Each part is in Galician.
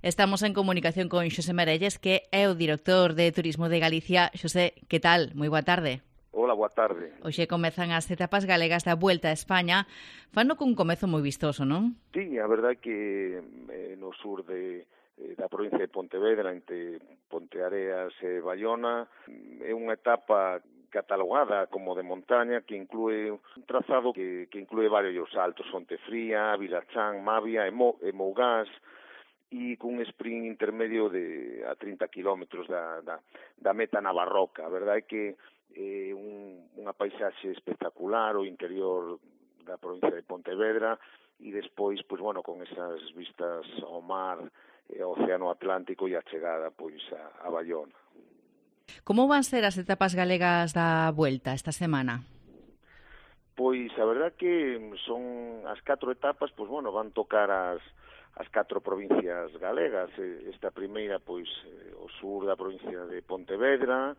Estamos en comunicación con Xosé Merelles, que é o director de Turismo de Galicia. Xosé, que tal? Moi boa tarde. Hola, boa tarde. Hoxe comezan as etapas galegas da Vuelta a España. Fano cun comezo moi vistoso, non? Sí, a verdade é que no sur da provincia de Pontevedra, entre Ponteareas e Baiona, é unha etapa catalogada como de montaña que inclúe un trazado que inclúe varios saltos, Fontefría, Vilachán, Mavia e Mougás, e cun sprint intermedio a 30 kilómetros da meta na Barroca. A verdade é que é unha paisaxe espectacular o interior da provincia de Pontevedra e despois, pois, bueno, con esas vistas ao mar, ao Océano Atlántico e a chegada, pois, a Baiona. Como van ser as etapas galegas da Vuelta esta semana? Pois a verdade que son as 4 etapas, pois, bueno, van tocar as 4 provincias galegas. Esta primeira, pois, o sur da provincia de Pontevedra,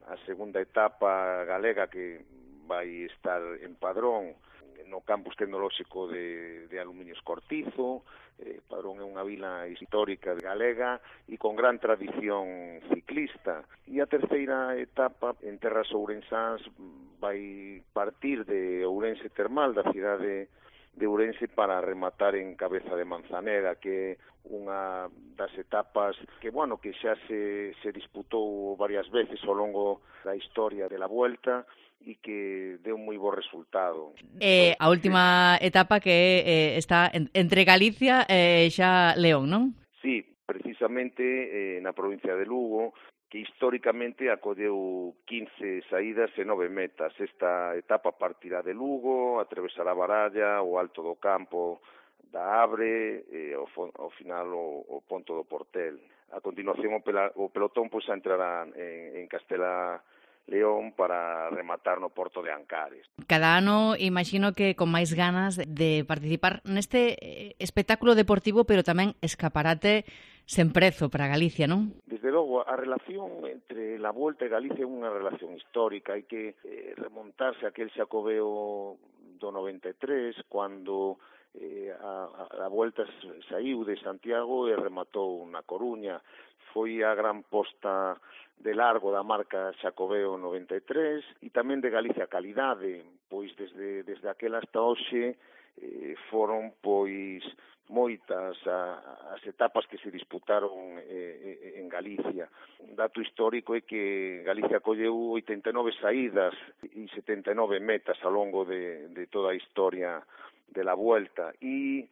a segunda etapa galega que vai estar en Padrón, no campus tecnolóxico de Aluminios Cortizo. Padrón é unha vila histórica galega e con gran tradición ciclista. E a terceira etapa en terras ourensáns vai partir de Ourense Termal, da cidade de Ourense, para rematar en Cabeza de Manzaneda, que é unha das etapas que, bueno, que xa se disputou varias veces ao longo da historia de la Vuelta e que deu moi bo resultado. A última etapa que está entre Galicia e xa León, non? Sí, precisamente na provincia de Lugo, que históricamente acolleu 15 saídas e 9 metas. Esta etapa partirá de Lugo, atravesará a Baralla, o Alto do Campo da Abre, e ao final o Ponto do Portel. A continuación o pelotón pois entrará en Castela León para rematar no Porto de Ancares. Cada ano imagino que con máis ganas de participar neste espectáculo deportivo, pero tamén escaparate sen prezo para Galicia, non? Desde logo, a relación entre la Volta e Galicia é unha relación histórica. Hai que remontarse a aquel Xacobeo do 93, cando a Volta saiu de Santiago e rematou na Coruña. Foi a gran posta de largo da marca Xacobeo 93 e tamén de Galicia Calidade, pois desde aquela hasta hoxe foron pois moitas as etapas que se disputaron en Galicia. Un dato histórico é que Galicia colleu 89 saídas e 79 metas ao longo de toda a historia de la Vuelta e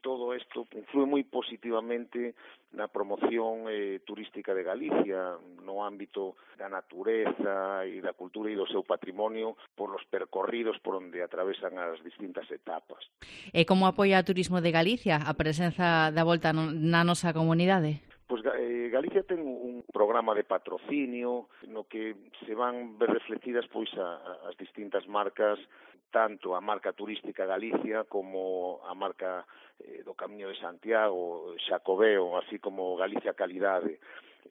todo isto influe moi positivamente na promoción turística de Galicia no ámbito da natureza e da cultura e do seu patrimonio por los percorridos por onde atravesan as distintas etapas. E como apoia o turismo de Galicia a presenza da Volta na nosa comunidade? Pois Galicia ten un programa de patrocinio no que se van ver refletidas pois as distintas marcas, tanto a marca turística Galicia como a marca do Camiño de Santiago, Xacobeo, así como Galicia Calidade.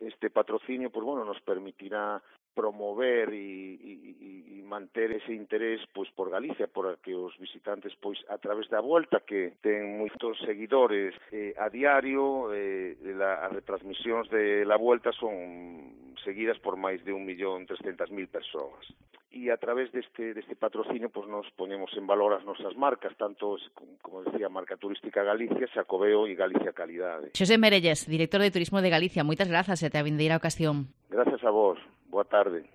Este patrocinio, pois, bueno, nos permitirá promover e manter ese interés pois por Galicia, por que os visitantes pois a través da Volta, que ten moitos seguidores a diario, as retransmisións de la Volta son seguidas por máis de 1.300.000 persoas. E a través deste patrocinio pois nos poñemos en valor as nosas marcas, tanto como decía, marca turística Galicia, Xacobeo e Galicia Calidade. Xosé Merelles, director de Turismo de Galicia, moitas grazas e te a vindeira ocasión. Gracias a vos. Boa tarde.